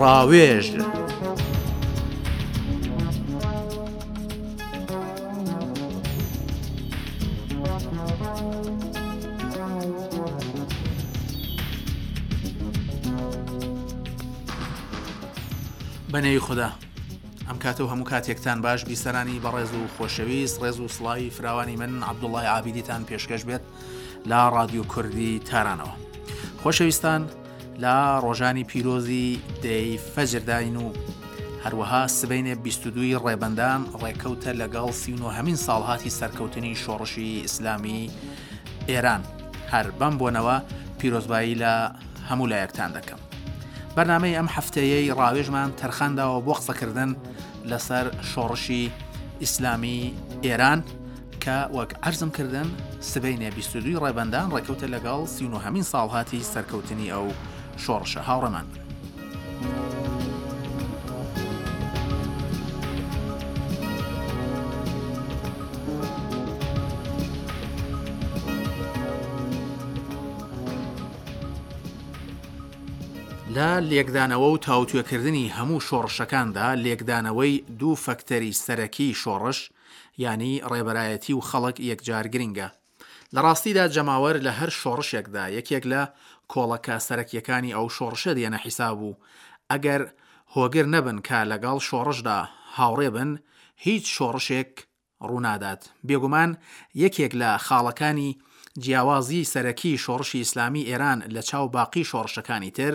ڕاوێژ. بەنێوی خودا ئەم کاتە و هەموو کاتێکتان باش بیسەرانی بەڕێز و خۆشەویست ڕێز و سڵاوی فراوانی من عەبدوڵای عابیدیتان پێشکەش بێت لە ڕادیۆ کوردی تارانەوە خۆشەویستان لە ڕۆژانی پیرۆزی دەی فەجرداین و هەروەها سبینێ 22 ڕێبەندان ڕێکەوتە لەگەڵ سیهمین ساڵهاتی سەرکەوتنی شۆڕشی ئیسلامی ئێران هەر بەم بۆنەوە پیرۆزبایی لە هەموو لایەکتان دەکەم. بەرنامەی ئەم هەفتەیەی ڕاوێژمان تەرخانداوە بۆ قسەکردن لەسەر شۆڕشی ئیسلامی ئێران کە وەک عەرزم کردن سبەینێ 22 ڕێبەندان ڕێکەوتە لەگەڵ سیهمین ساڵهاتی سەرکەوتنی ئەو شۆڕشە هاوڕێمان بن. لە لێکدانەوە و تاوتوێکردنی هەموو شۆڕشەکاندا لێکدانەوەی دوو فەکتەری سەرەکیی شۆڕش، یانی ڕێبەرایەتی و خەڵک یەکجار گرینگە. لە ڕاستیدا جەماوەر لە هەر شۆڕشێکدا یەکێک لە کۆڵەکە سەرەکییەکانی ئەو شۆڕشە دێنە حیساب و ئەگەر هۆگر نەبن کە لەگەڵ شۆڕشدا هاوڕێ بن، هیچ شۆڕشێک ڕوونادات. بێگومان یەکێک لە خاڵەکانی جیاوازیی سەرەکیی شۆڕشی ئیسلامیی ئێران لە چاو باقی شۆڕشەکانی تر،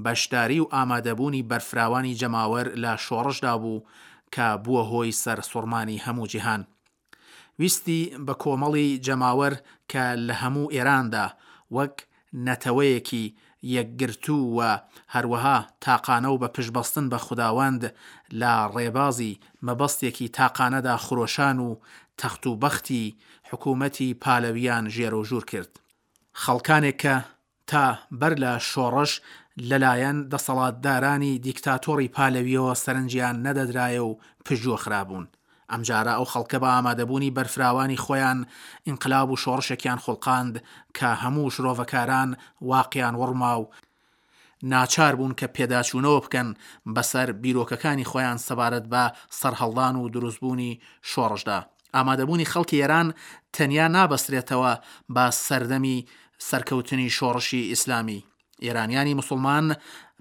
بەشداری و ئامادەبوونی بەرفراوانی جەماوەر لە شۆڕشدا بوو کە بووە هۆی سەرسوڕمانی هەموو جیهان. ویستی بەکۆمەڵی جەماوەر کە لە هەموو ئێراندا وەک نەتەوەیەکی یەکگرتوو و هەروەها تاقانە و بە پشتبەستن بە خوداوەند لە ڕێبازی مەبەستێکی تاقانەدا خرۆشان و تەخت و بەختی حکوومەتی پالەویان ژێرەوژوور کرد. خەڵکانێک کە تا بەر لە شۆڕش لەلایەن دەسەڵاتدارانی دیکتاتۆڕی پالەوییەوە سەرنجیان نەدەدرایە و پشتگوێ خرابوون. ئەمجارە ئەو خەڵکە بە ئامادەبوونی بەرفراوانی خۆیان ئینقلاب و شۆڕشێکیان خوڵقاند کە هەموو شرۆڤەکاران واقیان وڕما و ناچار بوون کە پێداچوونەوە بکەن بەسەر بیرۆکەکانی خۆیان سەبارەت بە سەرهەڵدان و دروستبوونی شۆڕشدا. ئامادەبوونی خەڵکی ئێران تەنیا نابەسترێتەوە بە سەردەمی سەرکەوتنی شۆڕشی ئیسلامی. ئێرانیانی موسڵمان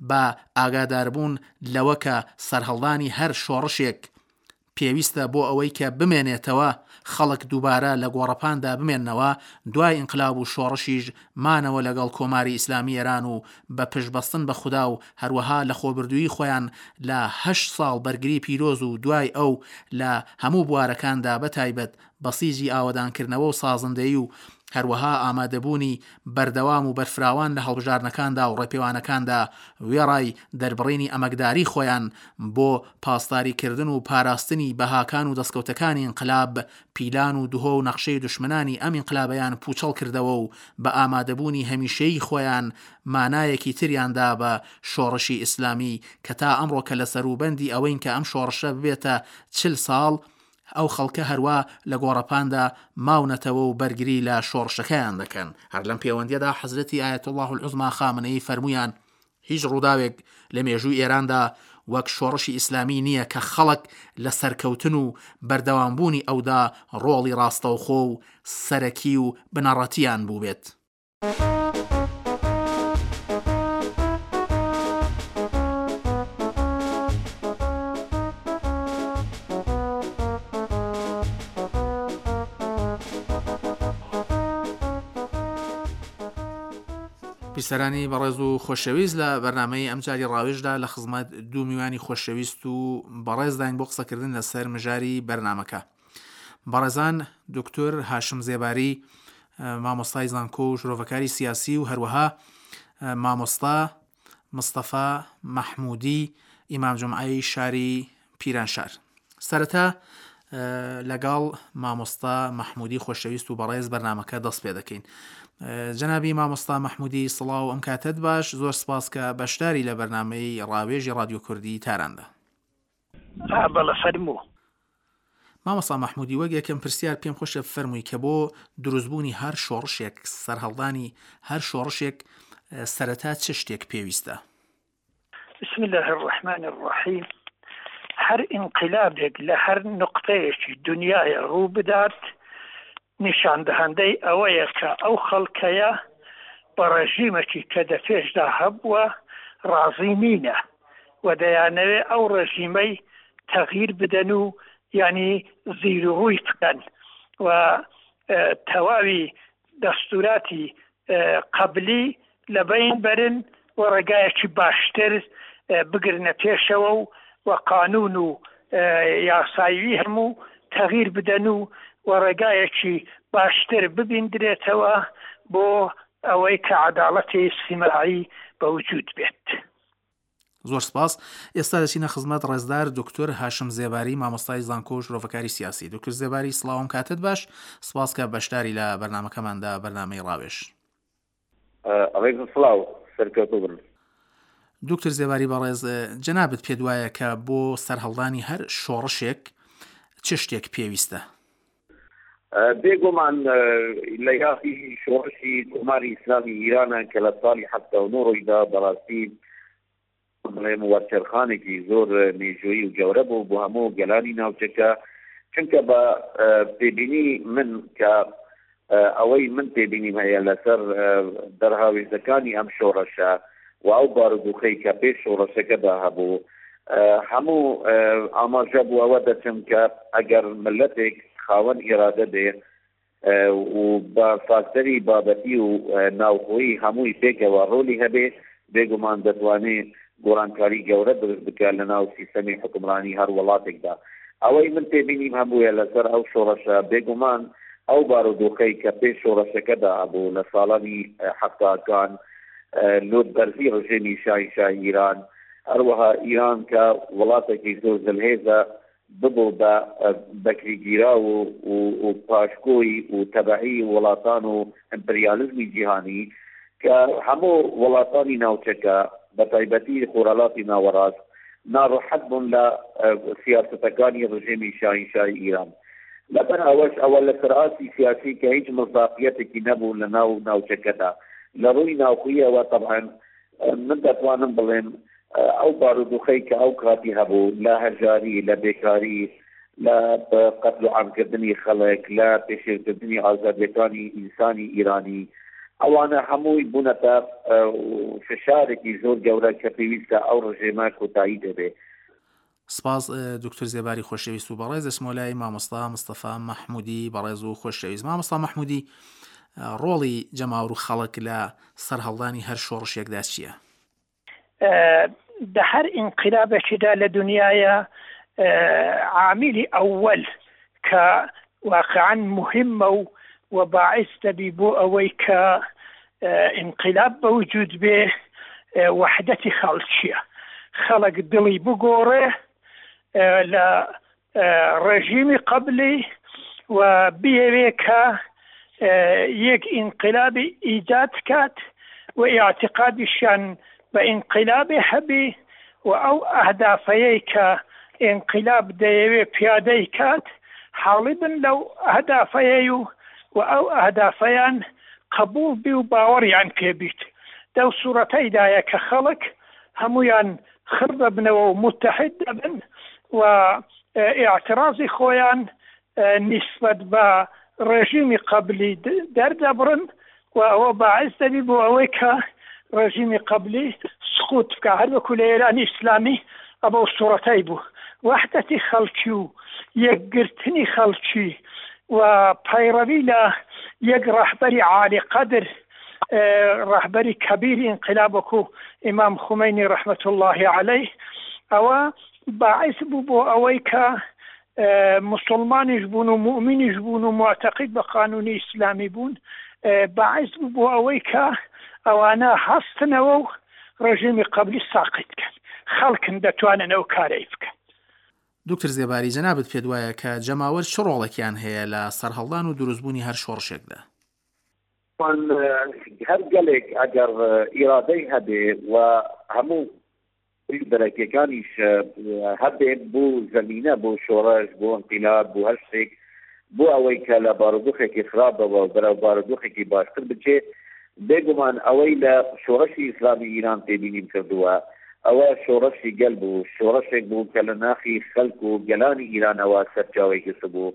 بە ئاگاداربوون لەوە کە سەرهەڵدانی هەر شۆڕشێک پێویستە بۆ ئەوەی کە بمێنێتەوە، خەڵک دووبارە لە گۆڕەپاندا بمێننەوە، دوای ئینقلاب و شۆڕشیش مانەوە لەگەڵ کۆماری ئیسلامی ئێران و بە پشتبەستن بە خودا و هەروەها لەخۆبردوویی خۆیان لە هەشت ساڵ بەرگری پیرۆز و دوای ئەو لە هەموو بوارەکاندا بەتایبەت بەسیجی ئاوەدانکردنەوە و سازندەیی و هەروەها ئامادەبوونی بەردەوام و بەرفراوان لە هەڵبژاردنەکاندا و ڕێپێوانەکاندا وێڕای دەربڕینی ئەمەکداری خۆیان بۆ پاسداریکردن و پاراستنی بەهاکان و دەسکەوتەکانی ئینقلاب پیلان و دهۆ و نەخشەی دوشمنانی ئەم ئینقلابەیان پوچەڵ کردەوە و بە ئامادەبوونی هەمیشەیی خۆیان مانایەکی تریان دا بە شۆڕشی ئیسلامی کە تا ئەمڕۆ کە لە سەروبەندی ئەوەین کە ئەم شۆڕشە ببێتە 40 ساڵ ئەو خەڵکە هەروا لە گۆڕەپاندا ماونەتەوە و بەرگری لە شۆڕشەکەیان دەکەن. هەر لەم پێوەندییەدا حەزرەتی ئایەتوڵڵاه العوزما خامنەیی فەرموویان، هیچ ڕووداوێک لە مێژووی ئێراندا وەک شۆڕشی ئیسلامی نییە کە خەڵک لە سەرکەوتن و بەردەوامبوونی ئەودا ڕۆڵی ڕاستەوخۆ و سەرەکی و بنەڕەتییان بووبێت. بیسەرانی بەڕێز و خۆشەویست لە بەرنمەی ئەمجاری ڕاوێژدا لە خزمەت دوو میوانی خۆشەویست و بەڕێزداین بۆ قسەکردن لەسەر مژاری بەرنمەکە. بەڕێزان دکتۆر هاشم زێباری مامۆستای زانکۆ و شرۆڤەکاری سیاسی و هەروەها مامۆستا مستەفا مەحمودی ئیمام جمعەی شاری پیرانشار سەرەتا لەگەڵ مامۆستا مەحمودی خۆشەویست و بەڕێز بەرنمەکە دەست پێ دەکەین جەنابی مامۆستا مەحمودی سڵاو ئەم کاتت باش زۆر سپاس کە بەشداری لە بەرنمەی ڕاوێژی ڕادیۆ کوردی تاراندا بەڵێ فەرموو. مامۆستا مەحمودی وەک یەکەم پرسیار پێم خۆشە بفەرمووی کە بۆ دروستبوونی هەر شۆڕشێک سەرهەڵدانی هەر شۆڕشێک سەرەتا چ شتێک پێویستە؟ بسم اللە الرحمن الرحیم هەر ئینقلابێک لە هەر نوقتەیەکی دونیایە ڕوو بدات نیشاندەهەندەی ئەوەیە کە ئەو خەڵکەیە بە ڕێژیمەکی کە دە پێشدا هەبووە ڕازی نینە و دەیانەوێ ئەو ڕێژیمەی تەغییر بدەن و یانی زیر و ڕووی بکەن و تەواوی دەستوراتی قەبلی لە بەین بەرن و ڕێگایەکی باشتر بگرنە پێشەوە و و قانون و یاسایوی هەموو تەغیر بدەن و و ڕێگایەکی باشتر ببیندرێتەوە بۆ ئەوەی کە عەداڵەتی ئیجتیماعی بە وجود بێت. زۆر سپاس. ئێستا دەچینە خزمەت ڕێزدار دوکتور هاشم زێباری مامۆستای زانکۆ و شرۆڤەکاری سیاسی. دوکتور زێباری سڵاوم کاتت باش. سپاس کە بەشداری لە بەرنامەکەماندا بەرنامەی ڕاوێژ. ڕێزم سڵاو سەرکەوتوو بن. دوکتور زێباری بەڕێز جەنابت پێت وایە کە بۆ سەرهەڵدانی هەر شۆڕشێک چ شتێک پێویستە؟ بێگومان لە یاخی شۆڕشی کۆماری ئیسلامی ئیرانە کە لە ساڵی 79 ڕوویدا بەڕاستی بڵێم وەرچەرخانێکی زۆر مێژوویی و گەورە بوو بۆ هەموو گەلانی ناوچەکە چونکە بە پێبینی من کە ئەوەی من تێبینیم هەیە لەسەر دەرهاوێژەکانی ئەم شۆڕشە و ئەو بارودوخەی کە پێش شۆڕشەکەدا هەبوو هەموو ئاماژە بۆ ئەوە دەچن کە ئەگەر ملەتێک خاوەن ئیرادە بێ و بە فاکتەری بابەتی و ناوخۆیی هەمووی پێکەوە ڕۆلی هەبێ بێگومان دەتوانێ گۆڕانکاری گەورە دروست بکات لە ناو سیستەمی حوکمڕانی هەر وڵاتێکدا. ئەوەی من تێبینیم هەبوویە لەسەر ئەو شۆڕشە بێگومان ئەو بارودۆخەی کە پێش شۆڕشەکەدا هەبوو لە ساڵانی حەفتاکان لوتبەرزی ڕژێمی شاهنشاهی ئیران هەروەها ئیران کە وڵاتێکی زۆر زلهێزە ببوو بە بەکریگیراو و و پاشکۆی و تەبەعی وڵاتان و ئیمپریالیزمی جیهانی کە هەموو وڵاتانی ناوچەکە بە تایبەتی خۆرهەڵاتی ناوەڕاست ناڕەحەت بوون لە سیاسەتەکانی ڕژێمی شاهینشاهی ئیران لەبەر ئەوەش ئەوە لەسەر ئاستی سیاسی کە هیچ مصداقیەتێکی نەبوو لە ناو ناوچەکەدا لە ڕووی ناوخۆیەوە تەبعەن من دەتوانم بڵێم ئەو بارودوخەی کە ئەو کاتی هەبوو لە هەژاری، لە بێکاری، لە قەتل و عامکردنی خەڵک، لە پێشێلکردنی ئازادیەکانی ئینسانی ئیرانی، ئەوانە هەمووی بوونەتە فشارێکی زۆر گەورە کە پێویستە ئەو ڕژێمە کۆتایی پێ بێ. سپاس دکتۆر زێباری خۆشەویست و بەڕێز دەچمەوە لای مامۆستا مستەفا مەحمودی بەڕێز و خۆشەویست مامۆستا مەحمودی ڕۆڵی جەماور و خەڵک لە سەرهەڵدانی هەر شۆڕشێکدا چییە؟ دە هەر ئینقلابێکیدا لە دنیاە عامیلی ئەوەل کە واقعا مهمە و و باعث دەبی بۆ ئەوەی کە ئینقلاب بە وجود بێ وەحدەتی خەڵکیە خەڵک دڵی بگۆڕێ لە ڕێژیمی قەبلی و بیەوێ کە یەک ئینقلابی ئیجاد کات و ئیعتقادیشیان بە ئینقلابێ هەبی و ئەو ئەهدافەیەی کە ئینقلاب دەیەوێ پیادەی کات حاڵی بن لەو ئەهدافەیەی و و ئەو ئەهدافەیان قەبووڵ بی و باوەڕیان پێ بیت دەو سوڕەتەیدایە کە خەڵک هەموویان خڕ دەبنەوە و موتەحید دەبن و ئیعتڕازی خۆیان نیسبەت بە ڕێژیمی قەبلی دەردەبڕن و ئەوە باعس دەبی بۆ ئەوەی کە ڕێژیمی قەبلی سقوت بکا هەر وەکو لە ئێرانی ئیسلامی ئەبەو سوڕەتەی بوو وەحدەتی خەڵکی و یەکگرتنی خەڵکی و پەیڕەوی لە یەک ڕەهبەری عالی قەدر ڕەهبەری کەبیری ئینقلاب وەکو ئیمام خومەینی ڕەحمەت اللە عەلەیه ئەوە باعس بوو بۆ ئەوەی کە موسڵمانیش بوون و موئمینیش بوون و موعتەقید بە قانونی ئیسلامی بوون باعس بوو بۆ ئەوەی کە ئەوانە هەستنەوە و ڕژێمی قەبلی ساقیت بکەن خەڵکن دەتوانن ئەو کارەی بکەن. دوکتور زێباری جەنابت پێت وایە کە جەماوەر چ ڕۆڵێکیان هەیە لە سەرهەڵدان و دروستبوونی هەر شۆڕشێکدا؟ هەر گەلێک ئەگەر ئیرادەی هەبێ و هەموو دەرەکیەکانیش هەبێت بۆ زەمینە بۆ شۆڕش بۆ ئینقیلاب بۆ هەر شتێک بۆ ئەوەی کە لە بارودۆخێکی خراپەوە بەرەو بارودۆخێکی باشتر بچێ بێگومان ئەوەی لە شۆڕشی ئیسلامی ئیران تێبینیم کردووە. ئەوە شۆڕشی گەل بوو، شۆڕشێک بوو کە لە ناخی خەلک و گەلانی ئیرانەوە سەرچاوەی گرتبوو.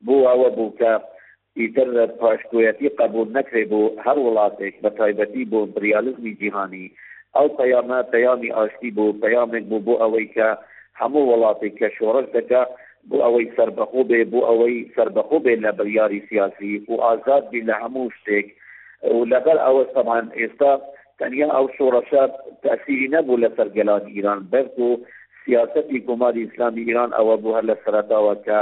بۆ ئەوە بوو کە ئیتر پاشکۆیەتی قەبوول نەکرێ بۆ هەر وڵاتێک، بە تایبەتی بۆ ئیمپریالیزمی جیهانی. ئەو پەیامە پەیامی ئاشتی بوو، پەیامێک بوو بۆ ئەوەی کە هەموو وڵاتێک کە شۆڕش دەکا بۆ ئەوەی سەربەخۆ بێ، بۆ ئەوەی سەربەخۆ بێ لە بڕیاری سیاسی و ئازاد بی لە هەموو شتێک و لەبەر ئەوەش تەبعەن ئێستا تەنیا ئەو شۆڕشە تەئسیری نەبوو لەسەر گەلانی ئیران، بەلکو سیاسەتی کۆماری ئیسلامی ئیران ئەوە بوو هەر لە سەرەتاوە کە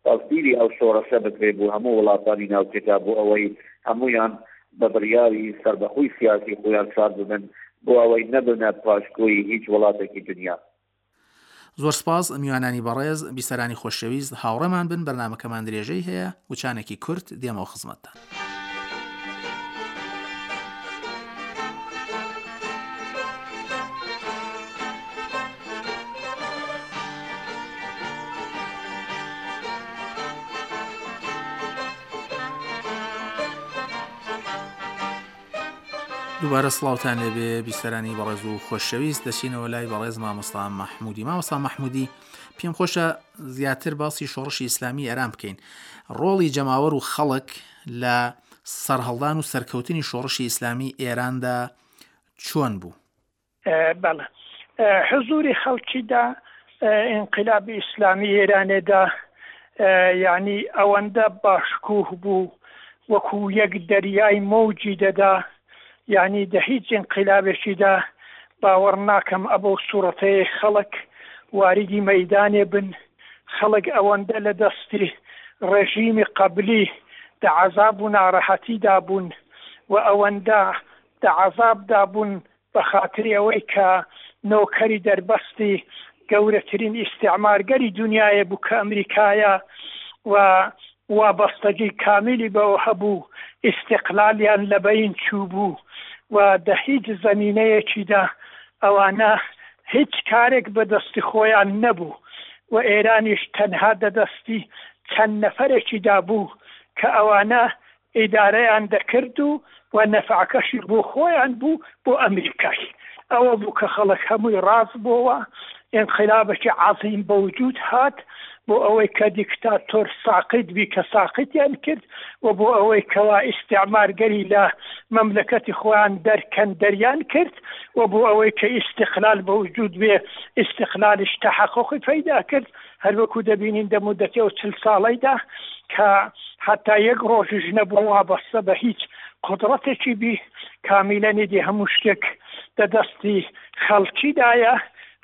تەسدیری ئەو شۆڕشە بکرێ بۆ هەموو وڵاتانی ناوچەکە بۆ ئەوەی هەموویان بە بڕیاری سەربەخۆی سیاسی خۆیان شاد ببن بۆ ئەوەی نەبنە پاشکۆی هیچ وڵاتێکی دنیا. زۆر سپاس میوانانی بەڕێز، بیسەرانی خۆشەویست هاوڕێمان بن بەرنامەکەمان درێژەی هەیە، وچانێکی کورت دێمەوە خزمەتتان. دووبارە سڵاوتان لێبێ بیسەرانی بەڕێز و خۆشەویست دەچینەوە لای بەڕێز مامۆستا مەحمودی مامۆستا مەحمودی پێم خۆشە زیاتر باسی شۆڕشی ئیسلامی ئێران بکەین ڕۆڵی جەماوەر و خەڵک لە سەرهەڵدان و سەرکەوتنی شۆڕشی ئیسلامی ئێراندا چۆن بوو؟ بەڵێ حزوری خەڵکی دە ئینقلابی ئیسلامی ئێرانێدا یانی ئەوەندە باشکوه بوو وەکوو یەک دەریای مەوجی دەدا یانی دە هیچ ئینقلابێکیدا باوەڕ ناکەم ئەبەو سوڕەتەیە خەڵک واریدی مەیدانێ بن خەڵک ئەوەندە لە دەستی ڕێژیمی قەبلی دە عەزاب و ناڕەحەتیدا بوون و ئەوەندە دە عەزابدا بوون بە خاتری ئەوەی کە نۆکەری دەربەستی گەورەترین ئیستعمارگەری دونیایە بوو کە ئەمریکایە و وابەستەگی کامیلی بەوە هەبوو ئیستقلالیان لە بەین چووبوو و دە هیچ زەمینەیەکیدا ئەوانە هیچ کارێک بە دەستی خۆیان نەبوو و ئێرانیش تەنها دە دەستی چەند نەفەرێکیدا بوو کە ئەوانە ئیدارەیان دەکرد و و نەفعەکەشی بۆ خۆیان بوو بۆ ئەمریکای ئەوە بوو کە خەڵک هەمووی ڕاست بۆوە ئینقلابێکی عەزیم بە وجود هات بۆ ئەوەی کە دیکتاتۆر ساقیت بی کە ساقیتیان کرد و بۆ ئەوەی کەوا ئیستعمارگەری لە مەملەکەتی خۆیان دەرکەن دەریان کرد و بۆ ئەوەی کە ئیستقلال بە وجود بێ ئیستقلالیش تەحەقوقی پەیدا کرد هەروەکو دەبینین دە مودەتی ئەو چل ساڵەیدا کە هەتا یەک ڕۆژیش نەبوو وابەستە بە هیچ قودڕەتێکی بی کامیلەن ئیدی هەموو شتێک دە دەستی خەڵکیدایە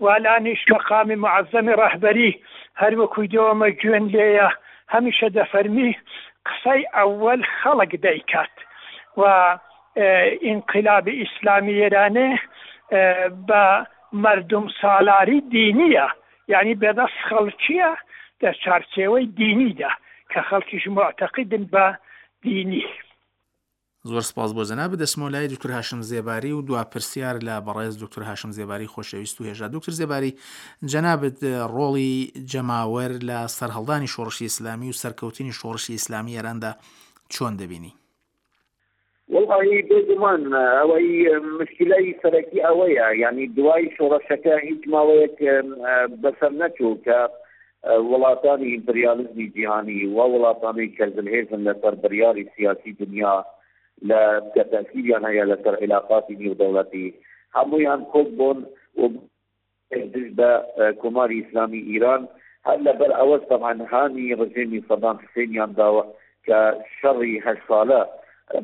والانیش مەقامی موعەزەمی ڕەهبەری هەروەکوی دۆمە گوێن لێیە هەمیشە دەفەرمی قسەی ئەوەل خەڵک دەیکات و ئینقلابی ئیسلامی ئێرانێ بە مەردوم سالاری دینیە یانی بەدەست خەڵکیە لە چارچێوەی دینیدا کە خەڵکیش موعتەقیدن بە دینی. زۆر سپاس بۆ جەنابت دەچمەوە لای دکتور هاشم زێباری و دوا پرسیار لە بەڕێز دکتور هاشم زێباری خۆشەویست و هێژا دکتور زێباری جەنابت ڕۆڵی جەماوەر لە سەرهەڵدانی شۆڕشی ئیسلامی و سەرکەوتنی شۆڕشی ئیسلامی ئێراندا چۆن دەبینی؟ وەڵاهی بێگومان ئەوەی مشکلەی سەرەکی ئەوەیە یعنی دوای شۆڕشەکە هیچ ماوەیەک بەسەر نەچوو کە وڵاتانی ئیمپریالیزمی جیهانی و وڵاتانی کە زلهێزن لەسەر بڕیاری سیاسی دنیا لە کە تەئسیریان هەیە لەسەر عیلاقاتی نێودەوڵەتی هەموویان کۆک بوون و دژ بە کۆماری ئیسلامی ئیران، هەر لەبەر ئەوەش تەبعەن هانی ڕژێمی سەدام حسێنیان داوە کە شەڕی هەشت سالە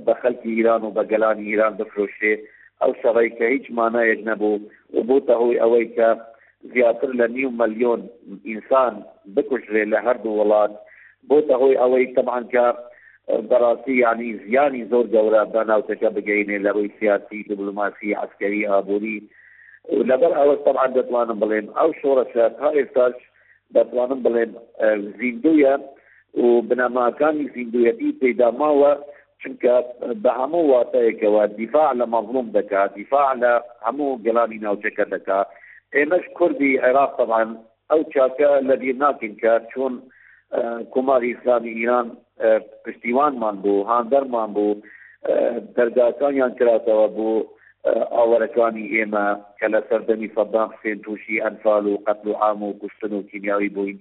بە خەلکی ئیران و بە گەلانی ئیران بفرۆشێ، ئەو شەڕەی کە هیچ مانایەک نەبوو و بۆتە هۆی ئەوەی کە زیاتر لە نیو مەلیۆن ئینسان بکوژرێ لە هەردوو وڵات، بۆتە هۆی ئەوەی تەبعەن کە بەڕاستی یانی زیانی زۆر گەورە بە ناوچەکە بگەینێ لە ڕووی سیاسی، دبلۆماسی، عەسکەری، ئابووری. لەبەر ئەوەش تەبعەن دەتوانم بڵێم ئەو شۆڕشە تا ئێستاش دەتوانم بڵێم زیندوویە و بنەماکانی زیندوویەتی تێدا ماوە چونکە بە هەموو واتایەکەوە دیفاع لە مەزڵوم دەکا دیفاع لە هەموو گەلانی ناوچەکە دەکا ئێمەش کوردی عێراق تەبعەن ئەو چاکە لەبیر ناکەین کە چۆن کۆماری ئیسلامی ئیران پشتیوانمان بوو هاندەرمان بوو دەرگاکانیان کراتەوە بۆ. ئاوارەکانی ئێمە کە لە سەردەمی سەدام حسێن تووشی ئەنفال و قەتل و عام و کوشتن و کیمیاوی بووین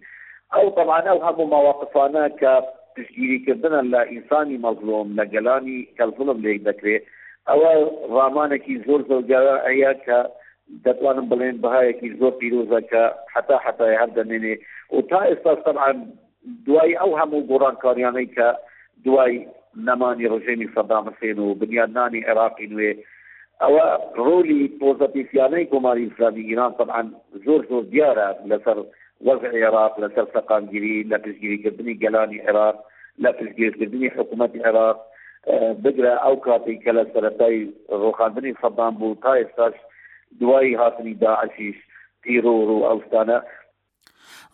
ئەو تەبعەن ئەو هەموو مەواقفانە کە پشتگیری کردنە لە ئینسانی مەزلوم لە گەلانی کە زوڵم لێک دەکرێ ئەوە ڕامانێکی زۆر زۆر گەورەیە کە دەتوانم بڵێم بەهایەکی زۆر پیرۆزە کە هەتا هەتایە هەر دەمێنێ و تا ئێستاش تەبعەن دوای ئەو هەموو گۆڕانکاریانەی کە دوای نەمانی ڕژێمی سەدام حسێن و بنیادنانی عێراقی نوێ ئەوە ڕۆلی پۆزەتیفیانەی کۆماری ئیسلامی ئیران تەبعەن زۆر زۆر دیارە لەسەر وەزعی عێراق لەسەر سەقامگیری لە پشتگیریکردنی گەلانی عێراق لە پشتگیرکردنی حکوومەتی عێراق بگرە ئەو کاتێک کە لە سەرەتای ڕۆخاندنی سەدام بوو تا ئێستاش دوای هاتنی داعشیش تیرۆر و ئەو شتانە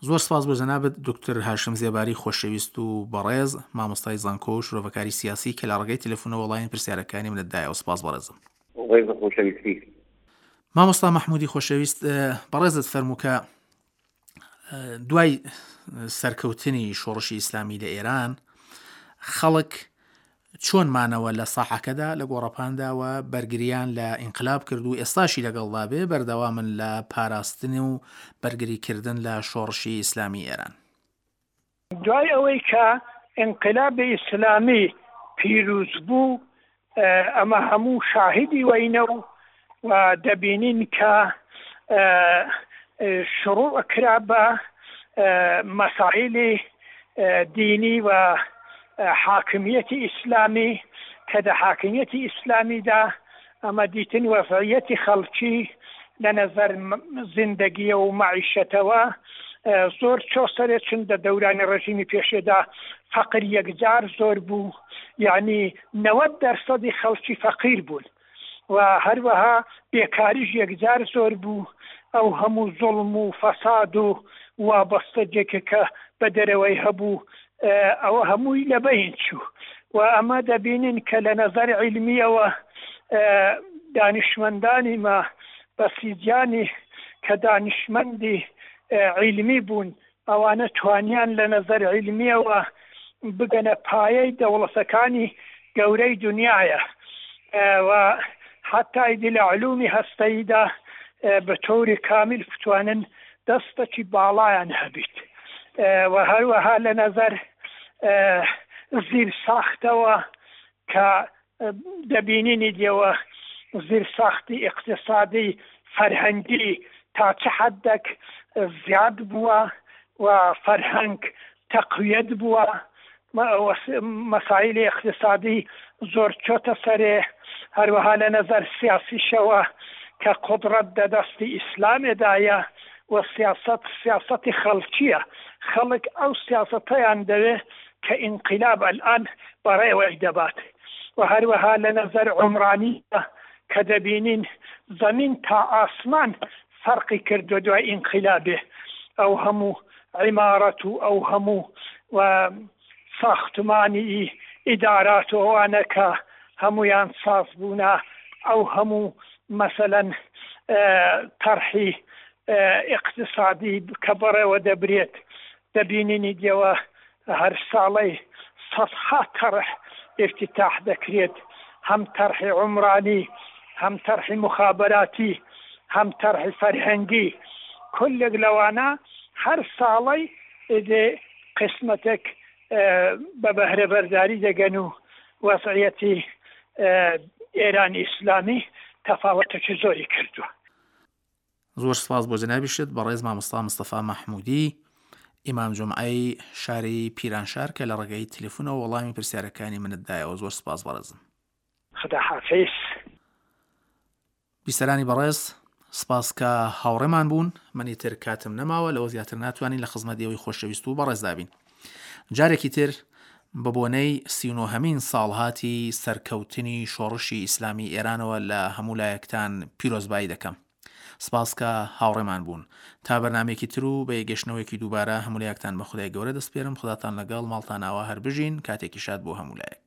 زۆر سپاس بۆ جەنابت دکتۆر هاشم زێباری خۆشەویست و بەڕێز، مامۆستای زانکۆ و شرۆڤەکاری سیاسی کە لە ڕێگەی تەلەفونەوە وەڵامی پرسیارەکانی منت دایەوە سپاس بەڕێزم. ڕێز و خۆشەویستی. مامۆستا مەحمودی خۆشەویست بەڕێزت فەرموو کە دوای سەرکەوتنی شۆڕشی ئیسلامی لە ئێران خەڵک چۆن مانەوە لە ساحەکەدا، لە گۆڕەپاندا و بەرگرییان لە ئینقلاب کرد و ئێستاشی لەگەڵدا بێ بەردەوامن لە پاراستن و بەرگری کردن لە شۆڕشی ئیسلامی ئێران. دوای ئەوەی کە ئینقلابی ئیسلامی پیرووز بوو، ئەمە هەموو شاهیدی وەینە و و دەبینین کە شڕوع کرا بە مەسایلی دینی و حاکمیەتی ئیسلامی کە دە حاکمیەتی ئیسلامیدا ئەمە دیتن وەزعیەتی خەڵکی لە نەزەر زیندەگیە و مەعیشەتەوە زۆر چۆ سەرێ چون دە دەورانی ڕژیمی پێشێدا فەقر یەکجار زۆر بوو یعنی 90 دەرسەدی خەڵکی فەقیر بوون و هەروەها بێکاریش یەکجار زۆر بوو، ئەو هەموو زوڵم و فەساد و وابەستەگێکە کە بە دەرەوەی هەبوو ئەوە هەمووی لە بەین چوو و ئەمە دەبینین کە لە نەزەر عیلمیەوە دانیشمەندانی ما بەسیجیانی کە دانیشمەندی عیلمی بوون ئەوانە توانیان لە نەزەر عیلمیەوە بگەنە پایەی دەوڵەتەکانی گەورەی دونیایە و حەتا ئیدی لە علومی هەستەییدا بە تۆری کامیل بتوانن دەستەکی باڵایان هەبیت و هەروەها لە نەزەر زیر ساختەوە کە دەبینینی دێوە زیرساختی ئیقتسادی فەرهەنگی تا چ حەدەک زیاد بووە و فەرهەنگ تەقویەت بووە مەسایلی ئیقتسادی زۆر چۆتە سەرێ هەروەها لە نەزەر سیاسیشەوە کە قودڕەت دە دەستی ئیسلامێدایە و سیاسەت سیاسەتی خەڵکییە خەڵک ئەو سیاسەتەیان دەوێ کە ئینقیلاب ئەلئان بەڕێوەی دەبات و هەروەها لە نەزەر عومرانیدا کە دەبینین زەمین تا ئاسمان فەرقی کردوە دوای ئینقیلابێ ئەو هەموو عیمارەت و ئەو هەموو و ساختمانی ئیدارات و ئەوانە کە هەموویان ساز بوونە ئەو هەموو مەسەلەن تەرحی ئیقتسادی کە بەڕێوە دەبرێت دەبینینی دێوە هەر ساڵەی سەدها تەڕح ئیفتیتاح دەکرێت، هەم تەڕحی عومرانی، هەم تەڕحی موخابەراتی، هەم تەڕحی فەرهەنگی، کولێک لەوانە هەر ساڵەی ئیدێ قیسمەتێک بە بەهرەبەرداری دەگەن و وەزعیەتی ئێرانی ئیسلامی تەفاوەتێکی زۆری کردووە. زۆر سپاس بۆ جەنابیشت بەڕێز مامۆستا مستەفا مەحمودی ئیمام جومعەی شاری پیرانشار کە لە ڕێگەی تەلەفونەوە وەڵامی پرسیارەکانی منت دایەوە زۆر سپاس بەڕێزم. خدا حافظ. بیسەرانی بەڕێز سپاس کە هاوڕێمان بوون من ئیتر کاتم نەماوە لەوە زیاتر ناتوانین لە خزمەت ئێوەی خۆشەویست و بەڕێزدا بین جارێکی تر بە بۆنەی 39هەمین ساڵهاتی سەرکەوتنی شۆڕشی ئیسلامی ئێرانەوە لە هەموو لایەکتان پیرۆزبایی دەکەم. سپاس کە هاوڕێمان بوون. تا بەرنامەیەکی تر و بە یەکگەشتنەوەیەکی دووبارە هەموو لایەکتان بە خودای گەورە دەسپێرم خوداتان لەگەڵ ماڵتان ئاوا هەر بژین کاتێکی شاد بۆ هەموو لایەک.